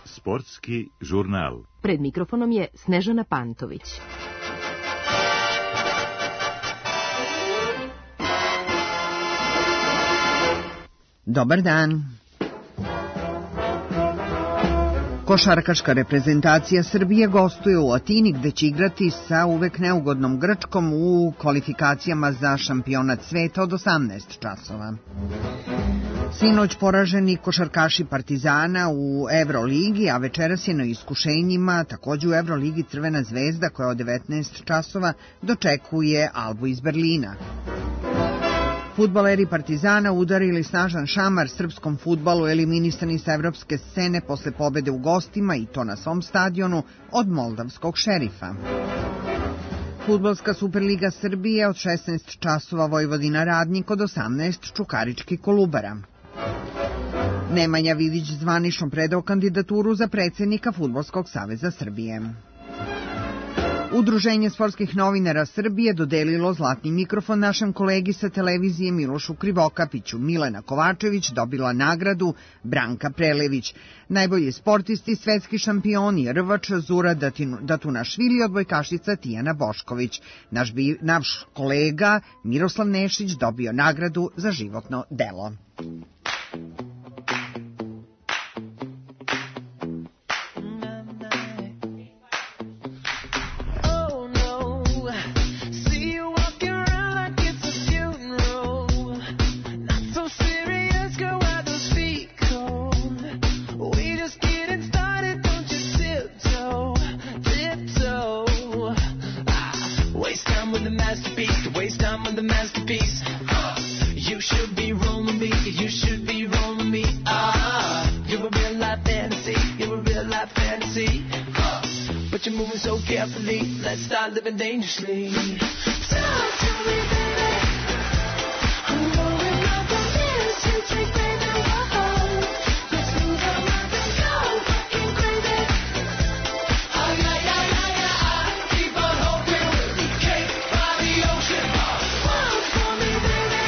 Sportski žurnal. Pred mikrofonom je Snežana Pantović. Dobar dan. Košarkaška reprezentacija Srbije gostuje u Atini gde će igrati sa uvek neugodnom Grčkom u kvalifikacijama za šampionat sveta od 18 časova. Sinoć poraženi košarkaši Partizana u Evroligi, a večeras je na iskušenjima takođe u Evroligi Crvena zvezda koja od 19 časova dočekuje Albu iz Berlina. Fudbaleri Partizana udarili snažan šamar srpskom fudbalu, eliminisani sa evropske scene posle pobede u gostima i to na svom stadionu od moldavskog Šerifa. Fudbalska Superliga Srbije od 16 časova Vojvodina Radnik, od 18 Čukarički Kolubara. Nemanja Vidić zvanično predao kandidaturu za predsjednika Fudbalskog saveza Srbije. Udruženje sportskih novinara Srbije dodelilo zlatni mikrofon našem kolegi sa televizije Milošu Krivokapiću. Milena Kovačević dobila nagradu Branka Prelević. Najbolji sportisti, svetski šampioni, rvač Zura Datunašvili, odbojkašica Tijana Bošković. Naš kolega Miroslav Nešić dobio nagradu za životno delo. Let's start living dangerously. Talk to me, baby. I'm rolling up the hills to take baby home. Let's lose our minds and go fucking crazy. Oh yeah, yeah, yeah, yeah. Keep on hoping we'll be cake by the ocean. Walk for me, baby.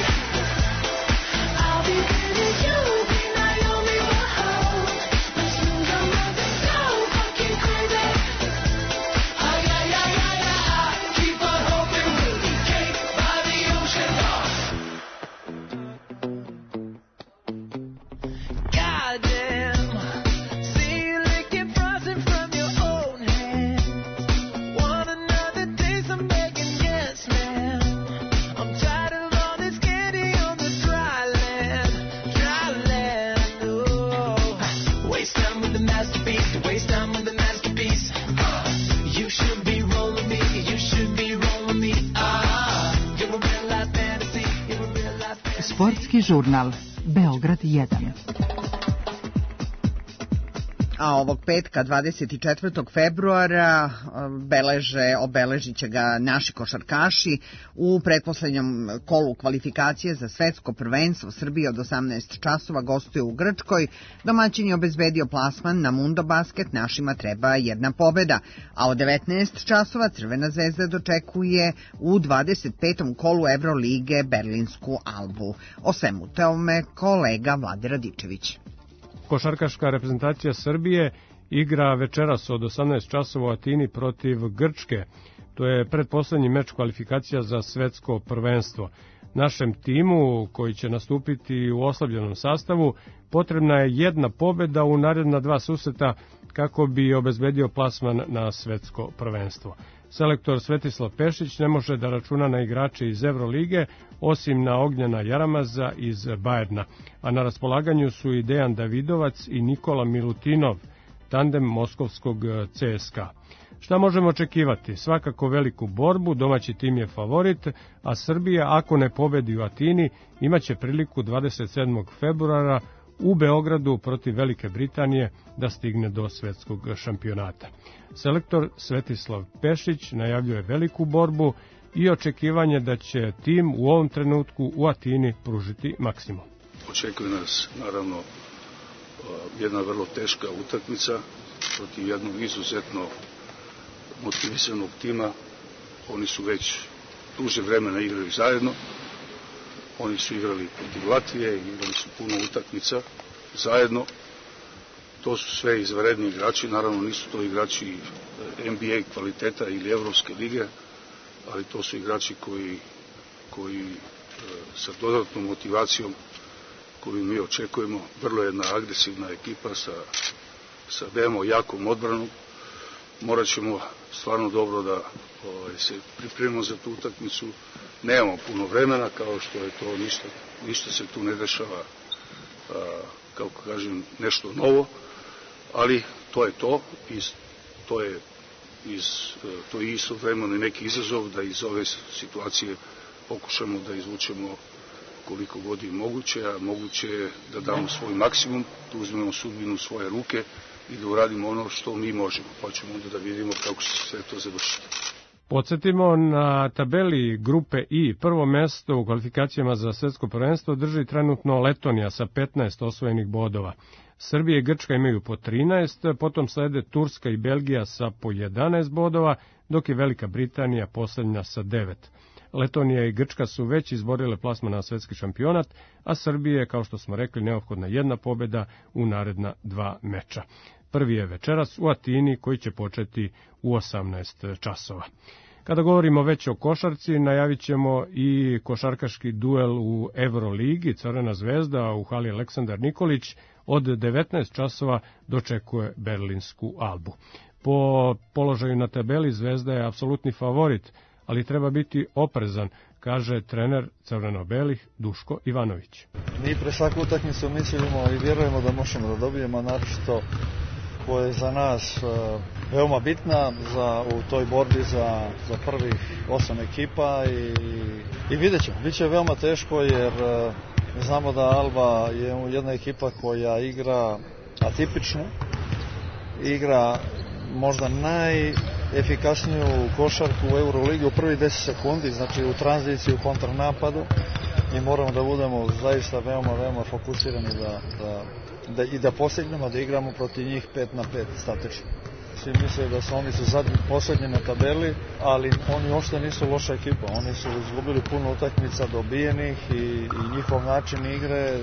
I'll be baby, you'll be Naomi. Whoa. Let's lose our minds and go fucking crazy. Sportski žurnal Beograd 1. A ovog petka, 24. februara, obeležit će ga naši košarkaši u pretposlednjem kolu kvalifikacije za svetsko prvenstvo. Srbije od 18 časova gostuje u Grčkoj. Domaćin je obezbedio plasman na Mundo Basket, našima treba jedna pobeda. A od 19 časova Crvena zvezda dočekuje u 25. kolu Evrolige berlinsku Albu. O svemu tome kolega Vlade Radičević. Košarkaška reprezentacija Srbije igra večeras od 18 časova u Atini protiv Grčke. To je pretposlednji meč kvalifikacija za svetsko prvenstvo. Našem timu, koji će nastupiti u oslabljenom sastavu, potrebna je jedna pobeda u naredna dva susreta kako bi obezbedio plasman na svetsko prvenstvo. Selektor Svetislav Pešić ne može da računa na igrače iz Evrolige, osim na Ognjena Jaramaza iz Bajerna, a na raspolaganju su i Dejan Davidovac i Nikola Milutinov, tandem moskovskog CSKA. Šta možemo očekivati? Svakako veliku borbu, domaći tim je favorit, a Srbija, ako ne pobedi u Atini, imaće priliku 27. februara u Beogradu protiv Velike Britanije da stigne do svetskog šampionata. Selektor Svetislav Pešić najavljuje veliku borbu i očekivanje da će tim u ovom trenutku u Atini pružiti maksimum. Očekuje nas, naravno, jedna vrlo teška utakmica protiv jednog izuzetno motivisanog tima. Oni su već duže vremena igrali zajedno. Oni su igrali protiv Latvije, igrali su puno utakmica zajedno. To su sve izvanredni igrači, naravno nisu to igrači NBA kvaliteta ili Evropske lige, ali to su igrači koji sa dodatnom motivacijom koju mi očekujemo, vrlo jedna agresivna ekipa sa veoma jakom odbranom. Morat ćemo stvarno dobro da se pripremimo za tu utakmicu. Nemamo puno vremena, kao što je to, ništa se tu ne dešava, kako kažem, nešto novo, ali to je to i to je istovremeno neki izazov da iz ove situacije pokušamo da izvučemo koliko god je moguće, a moguće je da damo svoj maksimum, da uzmemo sudbinu u svoje ruke i da uradimo ono što mi možemo, pa ćemo onda da vidimo kako će se sve to završiti. Podsjetimo, na tabeli grupe I prvo mesto u kvalifikacijama za svetsko prvenstvo drži trenutno Letonija sa 15 osvojenih bodova. Srbija i Grčka imaju po 13, potom slede Turska i Belgija sa po 11 bodova, dok je Velika Britanija poslednja sa 9. Letonija i Grčka su već izborile plasman na svetski šampionat, a Srbije je, kao što smo rekli, neophodna jedna pobeda u naredna 2 meča. Prvi je večeras u Atini, koji će početi u 18 časova. Kada govorimo već o košarci, najavit ćemo i košarkaški duel u Euroligi. Crvena zvezda u hali Aleksandar Nikolić od 19 časova dočekuje berlinsku Albu. Po položaju na tabeli Zvezda je apsolutni favorit, ali treba biti oprezan, kaže trener crveno-belih Duško Ivanović. Mi pre svaku utakmicu mislimo i vjerujemo da možemo da dobijemo, naročito koja je za nas veoma bitna u toj borbi za prvih 8 ekipa i vidjet ćemo. Biće veoma teško jer znamo da Alba je jedna ekipa koja igra atipično, igra možda najefikasniju košarku u Euroligi u prvi 10 sekundi, znači u tranziciji, u kontranapadu, i moramo da budemo zaista veoma fokusirani i da postignemo da igramo protiv njih 5 na 5 statično. Svi misle da su oni poslednji na tabeli, ali oni uopšte nisu loša ekipa. Oni su izgubili puno utakmica dobijenih i njihov način igre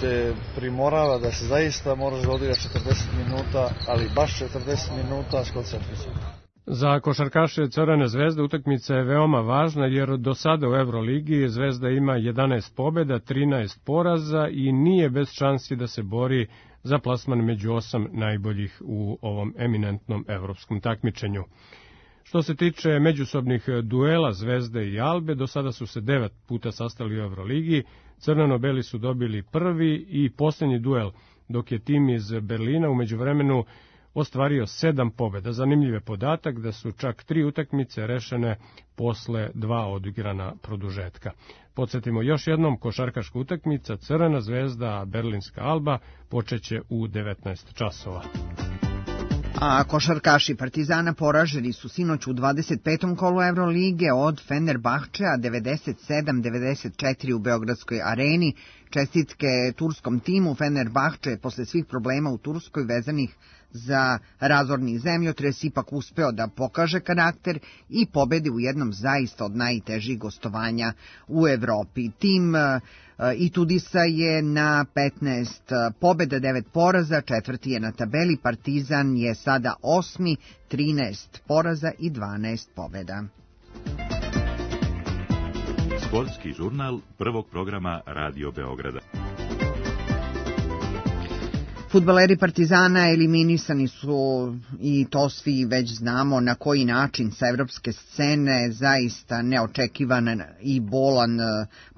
te primorava da se zaista moraš da odigraš 40 minuta, ali baš 40 minuta s koncentracijom. Za košarkaše Crvene zvezde utakmica je veoma važna, jer do sada u Euroligi Zvezda ima 11 pobjeda, 13 poraza i nije bez šansi da se bori za plasman među 8 najboljih u ovom eminentnom evropskom takmičenju. Što se tiče međusobnih duela Zvezde i Albe, do sada su se 9 puta sastali u Euroligi. Crveno-beli su dobili prvi i posljednji duel, dok je tim iz Berlina u međuvremenu ostvario 7 pobjeda. Zanimljiv je podatak da su čak 3 utakmice rešene posle 2 odigrana produžetka. Podsjetimo još jednom, košarkaška utakmica Crvena zvezda, Berlinska Alba počeće u 19 časova. A košarkaši Partizana poraženi su sinoć u 25. kolu Evrolige od Fenerbahčea 97-94 u Beogradskoj areni. Čestitke turskom timu. Fenerbahče je posle svih problema u Turskoj vezanih za razorni zemljotres ipak uspeo da pokaže karakter i pobedi u jednom zaista od najtežih gostovanja u Evropi. Tim Itudisa je na 15 pobjeda, 9 poraza, četvrti je na tabeli. Partizan je sada 8, 13 poraza i 12 pobjeda. Sportski žurnal prvog programa Radio Beograda. Fudbaleri Partizana eliminisani su, i to svi već znamo na koji način, sa evropske scene, zaista neočekivan i bolan,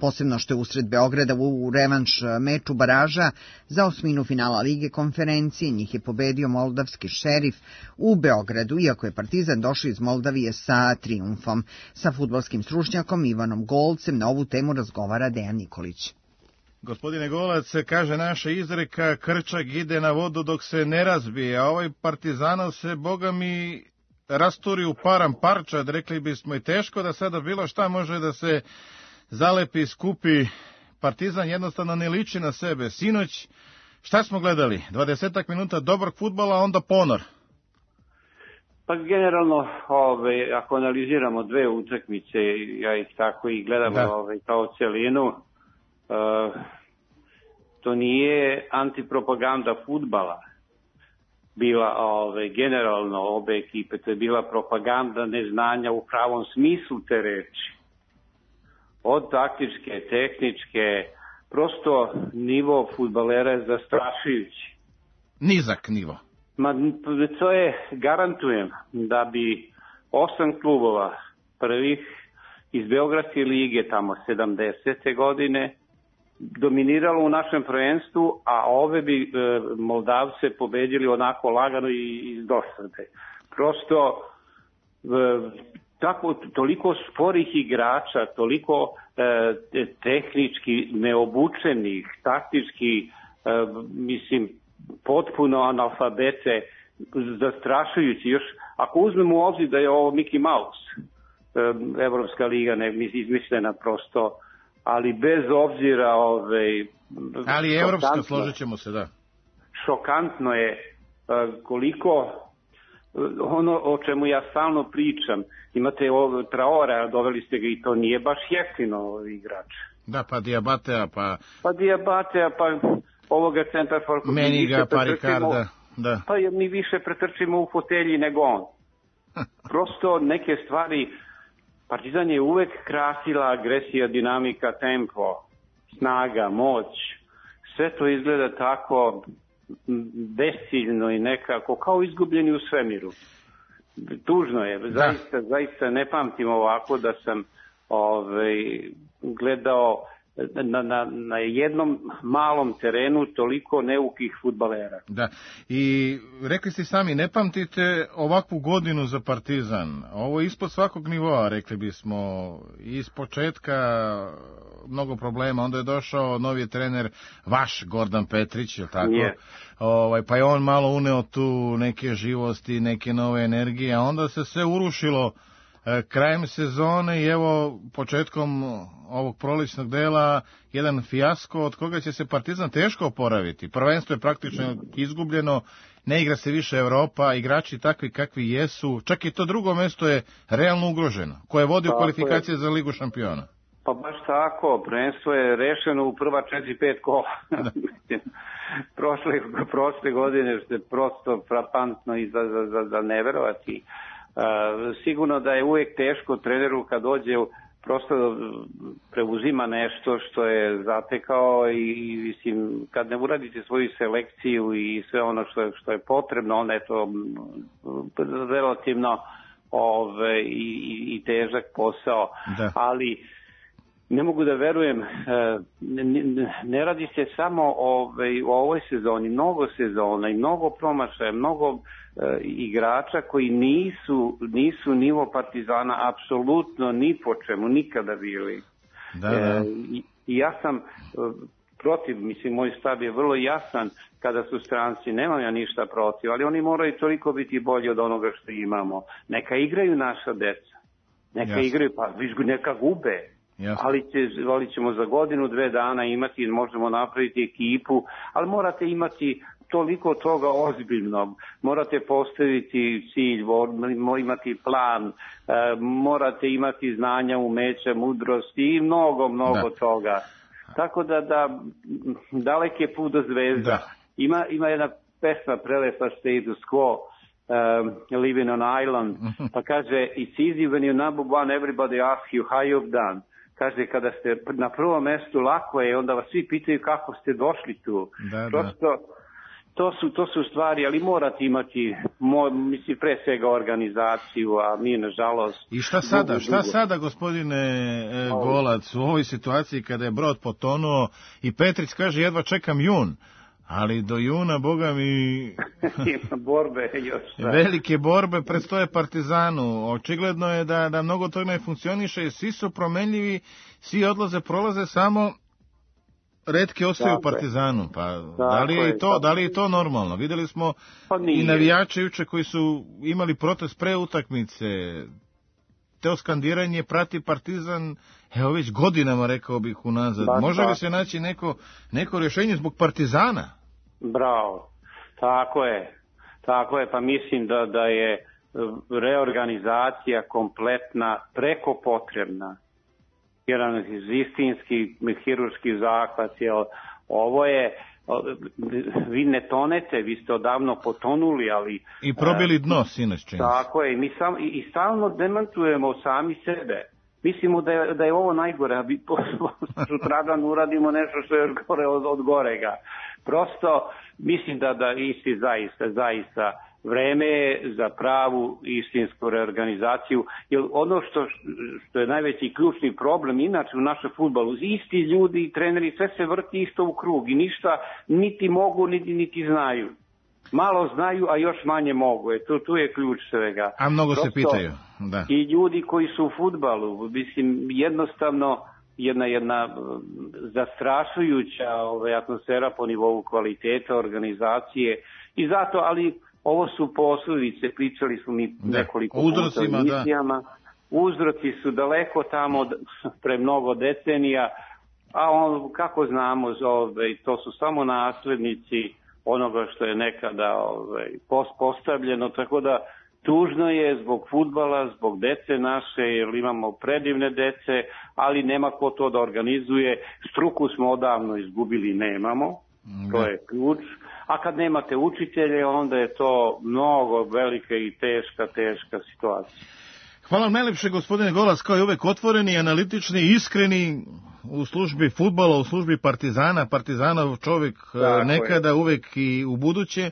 posebno što je usred Beograda u revanš meču baraža za osminu finala Lige konferencije. Njih je pobedio moldavski Šerif u Beogradu, iako je Partizan došao iz Moldavije sa trijumfom. Sa fudbalskim stručnjakom Ivanom Golcem na ovu temu razgovara Dejan Nikolić. Gospodine Golac, kaže naša izreka, krčak ide na vodu dok se ne razbije, a ovaj Partizanov se, boga mi, rasturi u param parčad, rekli bismo, i teško da sada bilo šta može da se zalepi, skupi. Partizan jednostavno ne liči na sebe. Sinoć, šta smo gledali? 20 minuta dobrog fudbala, onda ponor. Pa generalno, ako analiziramo dve utakmice, ja ih tako i gledam kao celinu, to nije antipropaganda fudbala bila generalno obe ekipe, to je bila propaganda neznanja u pravom smislu te reči. Od taktičke, tehničke, prosto nivo fudbalera je zastrašujući. Nizak nivo. Ma to je, garantujem, da bi 8 klubova prvih iz Beogradske lige tamo 70. godine dominiralo u našem prvenstvu, a ove bi Moldavce pobedili onako lagano i iz dosade. Prosto tako, toliko sporih igrača, toliko tehnički neobučenih, taktički, mislim, potpuno analfabete, zastrašujući. Još ako uzmemo u obzir da je ovo Mickey Mouse, Evropska liga, ne izmišljena prosto, ali bez obzira ali je evropska, složit ćemo se, da. Šokantno je koliko ono o čemu ja stalno pričam, imate Traora, doveli ste ga i to nije baš jeftino igrač. Da, pa Diabatea, pa ovoga centar for... Meniga, Parikarda, da. Pa mi više pretrčimo u fotelji nego on. Prosto neke stvari, Partizan je uvek krasila agresija, dinamika, tempo, snaga, moć. Sve to izgleda tako besciljno i nekako kao izgubljeni u svemiru. Tužno je, zaista ne pamtim ovako da sam gledao na jednom malom terenu toliko neukih fudbalera. Da, i rekli ste sami, ne pamtite ovakvu godinu za Partizan. Ovo je ispod svakog nivoa, rekli bismo, iz početka mnogo problema, onda je došao novi trener, vaš Gordan Petrić, je li tako? Yeah. Pa je on malo uneo tu neke živosti, neke nove energije, a onda se sve urušilo krajem sezone i evo početkom ovog prolećnog dela jedan fijasko od koga će se Partizan teško oporaviti. Prvenstvo je praktično izgubljeno, ne igra se više Evropa, igrači takvi kakvi jesu, čak i to drugo mesto je realno ugroženo, koje vodi u kvalifikacije za Ligu šampiona. Pa baš tako, prvenstvo je rešeno u prva 4-5 kola. prošle godine što je prosto frapantno i za neverovati. Sigurno da je uvijek teško treneru kad dođe prosto preuzima nešto što je zatekao i mislim, kad ne uradite svoju selekciju i sve ono što je potrebno, onda je to relativno i težak posao. Da. Ali ne mogu da verujem, ne radi se samo o ovoj sezoni, mnogo sezona i mnogo promašaja, mnogo igrača koji nisu nivo Partizana apsolutno ni po čemu nikada bili. Da. I ja sam protiv, mislim, moj stav je vrlo jasan kada su stranci, nemam ja ništa protiv, ali oni moraju toliko biti bolji od onoga što imamo. Neka igraju naša deca, neka igraju, pa neka gube. Ali ćemo za godinu, 2 dana imati, možemo napraviti ekipu, ali morate imati toliko toga ozbiljnog, morate postaviti cilj, imati plan, morate imati znanja, umeća, mudrosti i mnogo toga. Tako da dalek je put do zvezda. Ima jedna pesma prelepa Status Quo, Living on Island, pa kaže, it's easy when you're number one, everybody asks you how you've done. Kaže, kada ste na prvom mestu, lako je, onda vas svi pitaju kako ste došli tu. Prosto, to su stvari, ali morate imati, mislim, pre svega organizaciju, a mi, nažalost... I šta sada, gospodine Golac, u ovoj situaciji kada je brod potonuo i Petrić kaže, jedva čekam jun, ali do juna, boga mi... Ima borbe još. Velike borbe predstoje Partizanu. Očigledno je da mnogo toga ne funkcioniše i svi su promenljivi, svi prolaze samo retke ostaju u Partizanu. Pa da li je to normalno? Videli smo i navijače juče koji su imali protest pre utakmice. Te skandiranje prati Partizan, evo već godinama, rekao bih, unazad. Može li se naći neko rješenje zbog Partizana? Bravo, tako je, pa mislim da je reorganizacija kompletna, preko potrebna. Jedan istinski hirurški zahvat, ovo je, vi ne tonete, vi ste odavno potonuli, ali... I probili dno, sinoć čini. Tako je, i stalno demantujemo sami sebe. Mislimo da je ovo najgore, a mi sutradan uradimo nešto što je još gore od gorega. Prosto mislim da isti zaista vreme je za pravu istinsku reorganizaciju, jer ono što je najveći ključni problem inače u našem fudbalu, isti ljudi i treneri, sve se vrti isto u krug i ništa niti mogu niti znaju. Malo znaju, a još manje mogu. Tu je ključ svega. A mnogo se pitaju. Da. I ljudi koji su u fudbalu, mislim, jednostavno jedna zastrašujuća atmosfera po nivou kvaliteta organizacije i zato, ali ovo su posljedice, pričali smo mi nekoliko puta u emisijama. Uzroci su daleko tamo pre mnogo decenija, a kako znamo, to su samo naslednici onoga što je nekada postavljeno, tako da tužno je zbog fudbala, zbog dece naše, jer imamo predivne dece, ali nema ko to da organizuje. Struku smo odavno izgubili, nemamo, to je ključ. A kad nemate učitelje, onda je to mnogo velika i teška situacija. Hvala vam najlepše, gospodine Golac, kao i uvek otvoreni, analitični, iskreni u službi fudbala, u službi Partizana, Partizanov čovjek nekada, uvek i u buduće.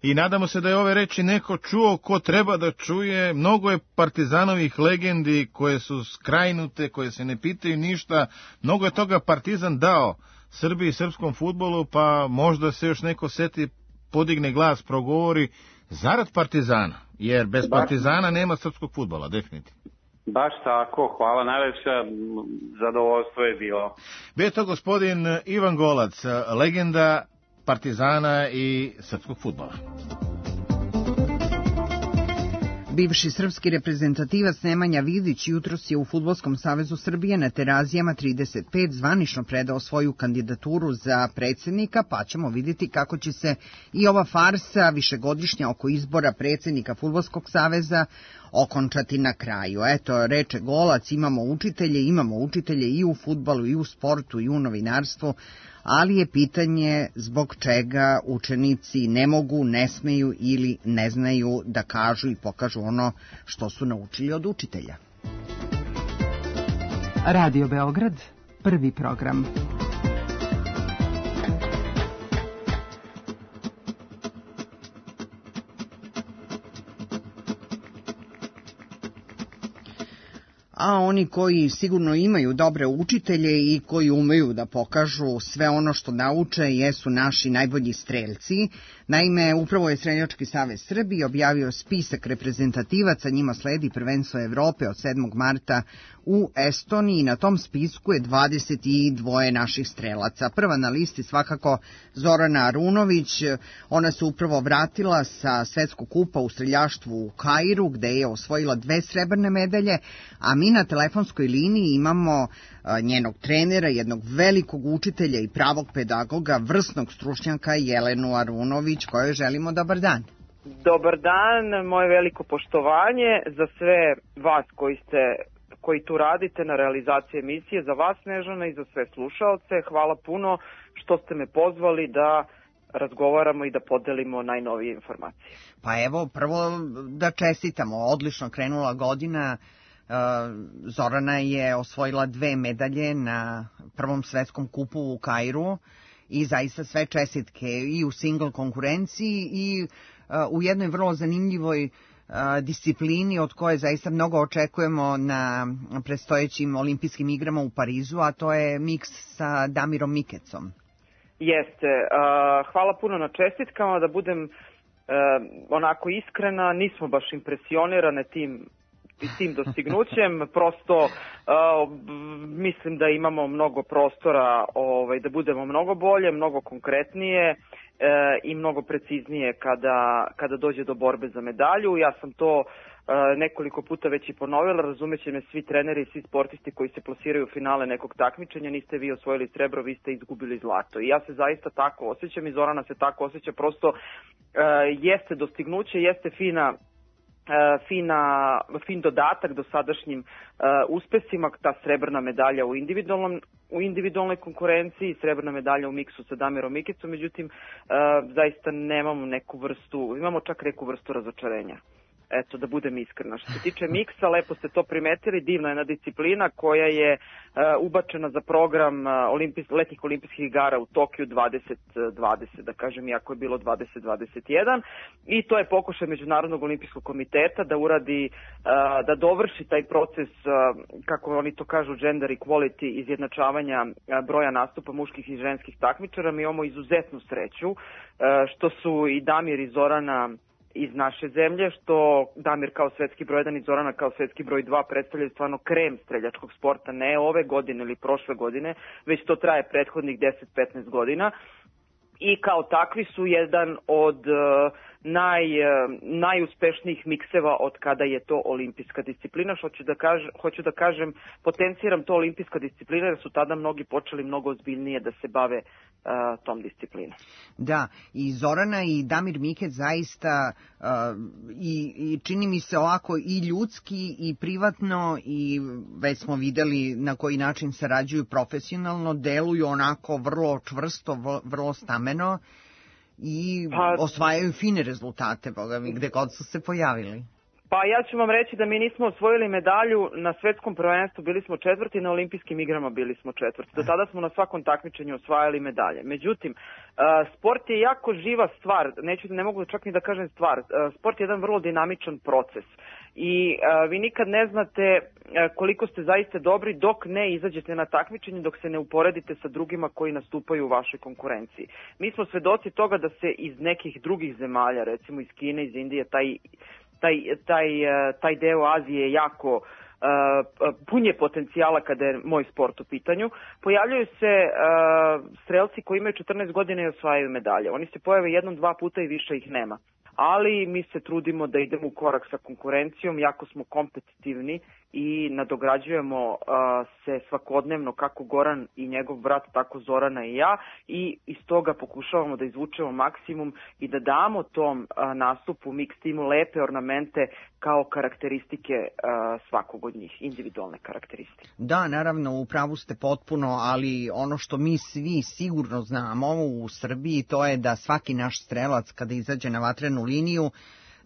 I nadamo se da je ove reči neko čuo ko treba da čuje. Mnogo je Partizanovih legendi koje su skrajnute, koje se ne pitaju ništa. Mnogo je toga Partizan dao Srbiji i srpskom fudbalu, pa možda se još neko seti, podigne glas, progovori zarad Partizana, jer bez Partizana nema srpskog fudbala, definitivno. Baš tako, hvala najlepša, zadovoljstvo je bilo. Bio je to gospodin Ivan Golac, legenda Partizana i srpskog fudbala. Bivši srpski reprezentativac Nemanja Vidić jutros je u Fudbalskom savezu Srbije na Terazijama 35 zvanično predao svoju kandidaturu za predsjednika, pa ćemo vidjeti kako će se i ova farsa višegodišnja oko izbora predsjednika Fudbalskog saveza okončati na kraju. Eto, reče Golac, imamo učitelje i u fudbalu, i u sportu, i u novinarstvu, ali je pitanje zbog čega učenici ne mogu, ne smeju ili ne znaju da kažu i pokažu ono što su naučili od učitelja. Radio Beograd, prvi program. A oni koji sigurno imaju dobre učitelje i koji umeju da pokažu sve ono što nauče jesu naši najbolji strelci. Naime, upravo je Streljački savez Srbije objavio spisak reprezentativaca, njima sledi prvenstvo Evrope od 7. marta u Estoniji. Na tom spisku je 22 naših strelaca. Prva na listi svakako Zorana Arunović, ona se upravo vratila sa svetskog kupa u streljaštvu u Kairu, gde je osvojila 2 srebrne medalje, a mi na telefonskoj liniji imamo njenog trenera, jednog velikog učitelja i pravog pedagoga, vrsnog stručnjaka Jelenu Arunović, kojoj želimo dobar dan. Dobar dan, moje veliko poštovanje za sve vas koji tu radite na realizaciji emisije, za vas Snežana i za sve slušaoce. Hvala puno što ste me pozvali da razgovaramo i da podelimo najnovije informacije. Pa evo, prvo da čestitamo, odlično krenula godina. Zorana je osvojila 2 medalje na prvom svetskom kupu u Kairu i zaista sve čestitke i u single konkurenciji i u jednoj vrlo zanimljivoj disciplini od koje zaista mnogo očekujemo na predstojećim olimpijskim igrama u Parizu, a to je miks sa Damirom Mikecom. Jeste. Hvala puno na čestitkama, da budem onako iskrena, nismo baš impresionirane tim dostignućem, prosto mislim da imamo mnogo prostora da budemo mnogo bolje, mnogo konkretnije i mnogo preciznije kada dođe do borbe za medalju. Ja sam to nekoliko puta već i ponovila, razumeće me svi treneri i svi sportisti koji se plasiraju u finale nekog takmičenja, niste vi osvojili srebro, vi ste izgubili zlato. I ja se zaista tako osjećam i Zorana se tako osjeća, prosto jeste dostignuće, jeste fina fin dodatak dosadašnjim uspesima, ta srebrna medalja u individualnoj konkurenciji, srebrna medalja u miksu sa Damirom Mikicom, međutim zaista imamo čak neku vrstu razočarenja. Eto, da budem iskrena. Što se tiče miksa, lepo ste to primetili, divna jedna disciplina koja je ubačena za program letnjih olimpijskih igara u Tokiju 2020, da kažem, iako je bilo 2021. I to je pokušaj Međunarodnog olimpijskog komiteta da uradi, da dovrši taj proces, kako oni to kažu, gender equality, izjednačavanja broja nastupa muških i ženskih takmičara. Mi imamo izuzetnu sreću što su i Damir i Zorana iz naše zemlje, što Damir kao svetski broj 1 i Zorana kao svetski broj 2 predstavljaju stvarno krem streljačkog sporta, ne ove godine ili prošle godine, već to traje prethodnih 10-15 godina. I kao takvi su jedan od najuspešnijih mikseva od kada je to olimpijska disciplina. Hoću da kažem, potenciram to olimpijska disciplina jer su tada mnogi počeli mnogo ozbiljnije da se bave tom disciplinom. Da, i Zorana i Damir Mikec zaista i čini mi se ovako i ljudski i privatno, i već smo videli na koji način sarađuju profesionalno, deluju onako vrlo čvrsto, vrlo stameno i osvajaju fine rezultate, boga mi, gde god su se pojavili. Pa ja ću vam reći da mi nismo osvojili medalju na svetskom prvenstvu, bili smo četvrti, na olimpijskim igrama bili smo četvrti. Do tada smo na svakom takmičenju osvajali medalje. Međutim, sport je jako živa stvar, ne mogu čak ni da kažem stvar, sport je jedan vrlo dinamičan proces. I vi nikad ne znate koliko ste zaista dobri dok ne izađete na takmičenje, dok se ne uporedite sa drugima koji nastupaju u vašoj konkurenciji. Mi smo svedoci toga da se iz nekih drugih zemalja, recimo iz Kine, iz Indije, taj deo Azije jako pun je potencijala kada je moj sport u pitanju. Pojavljaju se strelci koji imaju 14 godina i osvajaju medalje. Oni se pojave jednom, dva puta i više ih nema. Ali mi se trudimo da idemo u korak sa konkurencijom, jako smo kompetitivni i nadograđujemo se svakodnevno, kako Goran i njegov brat, tako Zorana i ja, i iz toga pokušavamo da izvučemo maksimum i da damo tom nastupu mix timu lepe ornamente kao karakteristike svakog od njih, individualne karakteristike. Da, naravno, u pravu ste potpuno, ali ono što mi svi sigurno znamo u Srbiji, to je da svaki naš strelac kada izađe na vatrenu liniju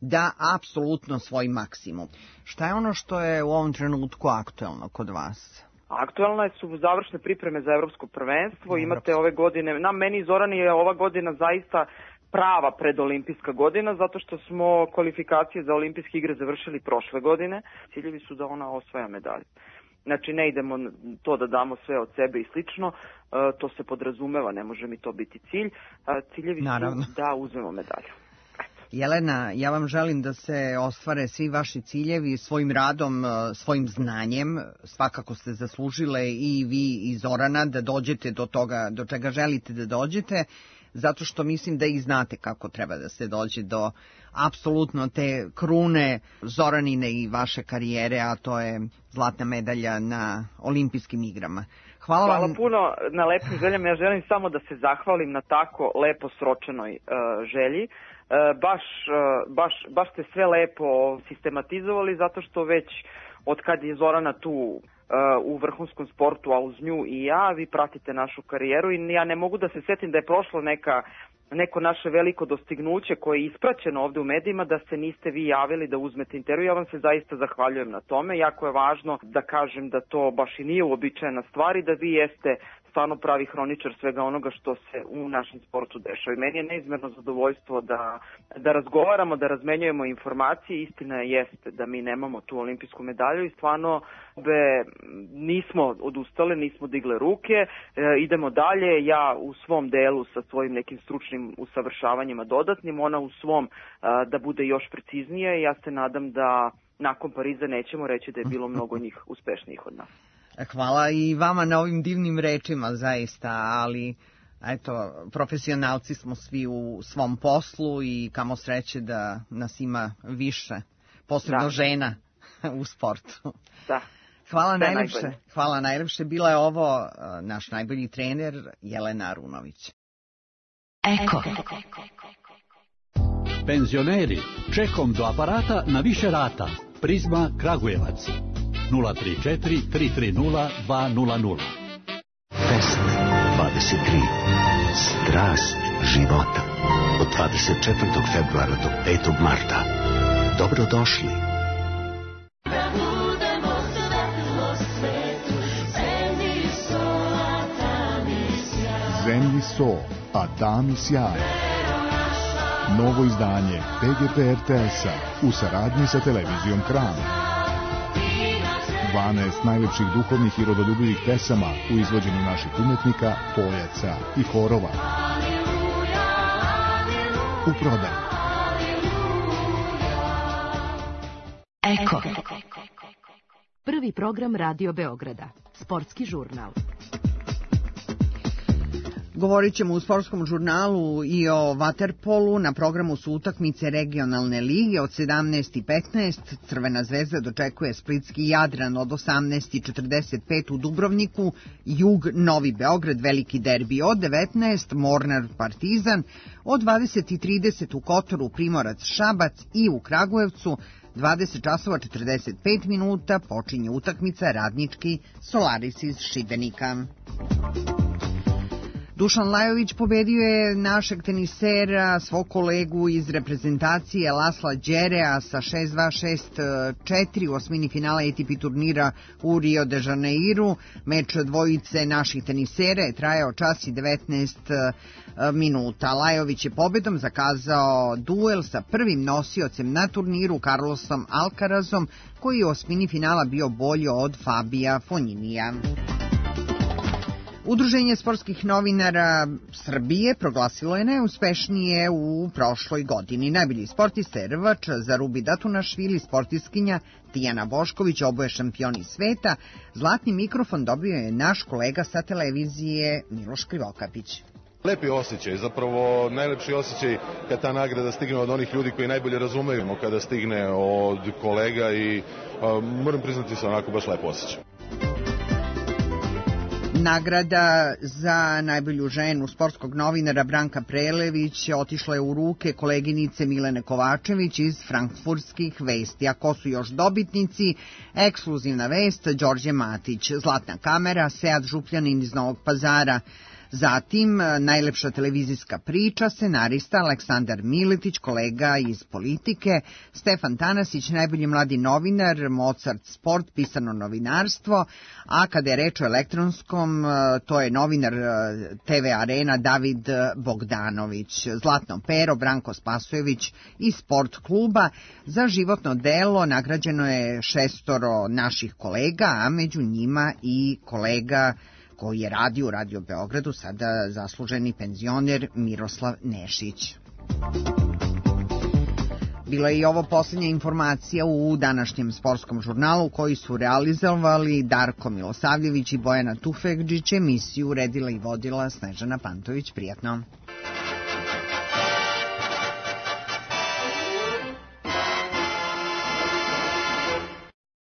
da apsolutno svoj maksimum. Šta je ono što je u ovom trenutku aktuelno kod vas? Aktuelne su završne pripreme za evropsko prvenstvo. Imate ove godine, meni i Zorani je ova godina zaista prava predolimpijska godina, zato što smo kvalifikacije za olimpijske igre završili prošle godine. Ciljevi su da ona osvaja medalju. Znači, ne idemo to da damo sve od sebe i slično, to se podrazumeva, ne može mi to biti cilj. Ciljevi su da uzmemo medalju. Jelena, ja vam želim da se ostvare svi vaši ciljevi svojim radom, svojim znanjem. Svakako ste zaslužile i vi i Zorana da dođete do toga do čega želite da dođete, zato što mislim da i znate kako treba da se dođe do apsolutno te krune Zoranine i vaše karijere, a to je zlatna medalja na olimpijskim igrama. Hvala puno na lepim željama. Ja želim samo da se zahvalim na tako lepo sročenoj želji. Baš ste sve lepo sistematizovali, zato što već od kad je Zorana tu u vrhunskom sportu, a uz nju i ja, vi pratite našu karijeru i ja ne mogu da se setim da je prošlo neko naše veliko dostignuće koje je ispraćeno ovde u medijima, da se niste vi javili da uzmete intervju. Ja vam se zaista zahvaljujem na tome. Jako je važno da kažem da to baš i nije uobičajena stvar i da vi jeste stvarno pravi hroničar svega onoga što se u našem sportu dešava. I meni je neizmerno zadovoljstvo da razgovaramo, da razmenjujemo informacije. Istina jeste da mi nemamo tu olimpijsku medalju i stvarno nismo odustale, nismo digle ruke, idemo dalje. Ja u svom delu sa svojim nekim stručnim usavršavanjima dodatnim, ona u svom da bude još preciznije. Ja se nadam da nakon Pariza nećemo reći da je bilo mnogo njih uspešnijih od nas. Hvala i vama na ovim divnim rečima, zaista, ali eto, profesionalci smo svi u svom poslu i kamo sreće da nas ima više, posebno žena u sportu. Da. Hvala najlepše. Bila je ovo naš najbolji trener Jelena Arunović. Eko. Penzioneri, čekom do aparata na više rata. Prizma Kragujevac. 034 330 200. Fest 23. Strast života. Od 24. februara do 5. marta. Dobrodošli. Zemlji so, a tami sjaj. Novo izdanje PGP RTS-a u saradnji sa televizijom Kran. 12 najlepših duhovnih i rodoljubivih pesama u izvođenju naših umetnika, pojaca i horova. U prodaju. Eko. Prvi program Radio Beograda. Sportski žurnal. Govorit ćemo u sportskom žurnalu i o vaterpolu. Na programu su utakmice regionalne lige od 17:15. Crvena zvezda dočekuje splitski Jadran od 18:45 u Dubrovniku. Jug Novi Beograd, veliki derbi od 19. Mornar Partizan od 20:30 u Kotoru Primorac Šabac i u Kragujevcu 20:45 počinje utakmica Radnički Solaris iz Šibenika. Dušan Lajović pobedio je našeg tenisera, svog kolegu iz reprezentacije Lasla Đerea sa 6-2, 6-4 u osmini finala ATP turnira u Rio de Janeiru. Meč dvojice naših tenisera je trajao čas i 19 minuta. Lajović je pobedom zakazao duel sa prvim nosiocem na turniru Carlosom Alcarazom, koji je u osmini finala bio bolji od Fabija Fonjinija. Udruženje sportskih novinara Srbije proglasilo je najuspešnije u prošloj godini. Najbolji sportista je rvač Zarubi Datunašvili, sportiskinja Tijana Bošković, oboje šampioni sveta. Zlatni mikrofon dobio je naš kolega sa televizije Miloš Krivokapić. Lepi osjećaj, zapravo najlepši osjećaj kad ta nagrada stigne od onih ljudi koji najbolje razumeju, kada stigne od kolega i moram priznati se onako baš lepo osjećaj. Nagrada za najbolju ženu sportskog novinara Branka Prelević otišla je u ruke koleginice Milene Kovačević iz Frankfurtskih vesti. A ko su još dobitnici? Ekskluzivna vest Đorđe Matić, Zlatna kamera Sead Župljanin iz Novog Pazara. Zatim, najlepša televizijska priča, scenarista Aleksandar Miletić, kolega iz Politike, Stefan Tanasić, najbolji mladi novinar, Mozart Sport, pisano novinarstvo, a kada je reč o elektronskom, to je novinar TV Arena David Bogdanović, Zlatno pero Branko Spasojević iz Sport kluba. Za životno delo nagrađeno je 6 naših kolega, a među njima i kolega koji je radio u Radio Beogradu, sada zasluženi penzioner Miroslav Nešić. Bila je i ovo posljednja informacija u današnjem sportskom žurnalu koji su realizovali Darko Milosavljević i Bojana Tufekđić. Emisiju uredila i vodila Snežana Pantović. Prijatno.